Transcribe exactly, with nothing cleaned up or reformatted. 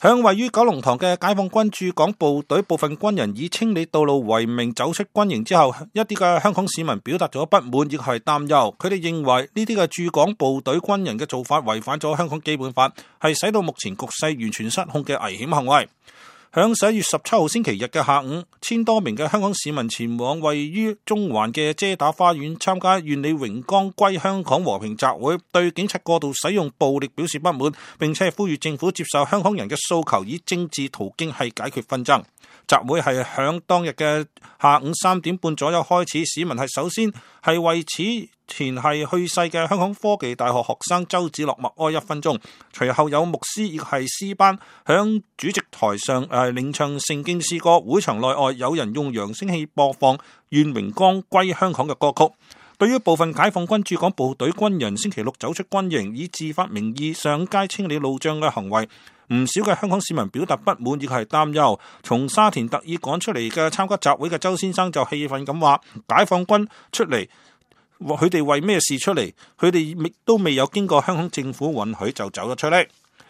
響位於九龍塘嘅解放軍駐港部隊部分軍人以清理道路為名走出軍營之後，一啲嘅香港市民表達咗不滿，亦係擔憂。佢哋認為呢啲嘅駐港部隊軍人嘅做法違反咗香港基本法，係使到目前局勢完全失控嘅危險行為。響十一月十七號星期日嘅下午，千多名嘅香港市民前往位於中環嘅遮打花園參加願你榮光歸香港和平集會，對警察過度使用暴力表示不滿，並且呼籲政府接受香港人嘅訴求，以政治途徑係解決紛爭。集會係響當日嘅下午三點半左右開始，市民係首先係為此前係去世嘅香港科技大學學生周梓樂默哀一分鐘，隨後有牧師亦係詩班響主席台上誒領唱聖經詩歌，會場內外有人用揚聲器播放願榮光歸香港嘅歌曲。對於部分解放軍駐港部隊軍人星期六走出軍營以自發名義上街清理路障嘅行為，唔少嘅香港市民表達不滿亦係擔憂。從沙田特意趕出嚟嘅參加集會嘅周先生就氣憤咁話：解放軍出嚟，佢哋為咩事出嚟？佢哋亦都未有經過香港政府允許就走咗出嚟。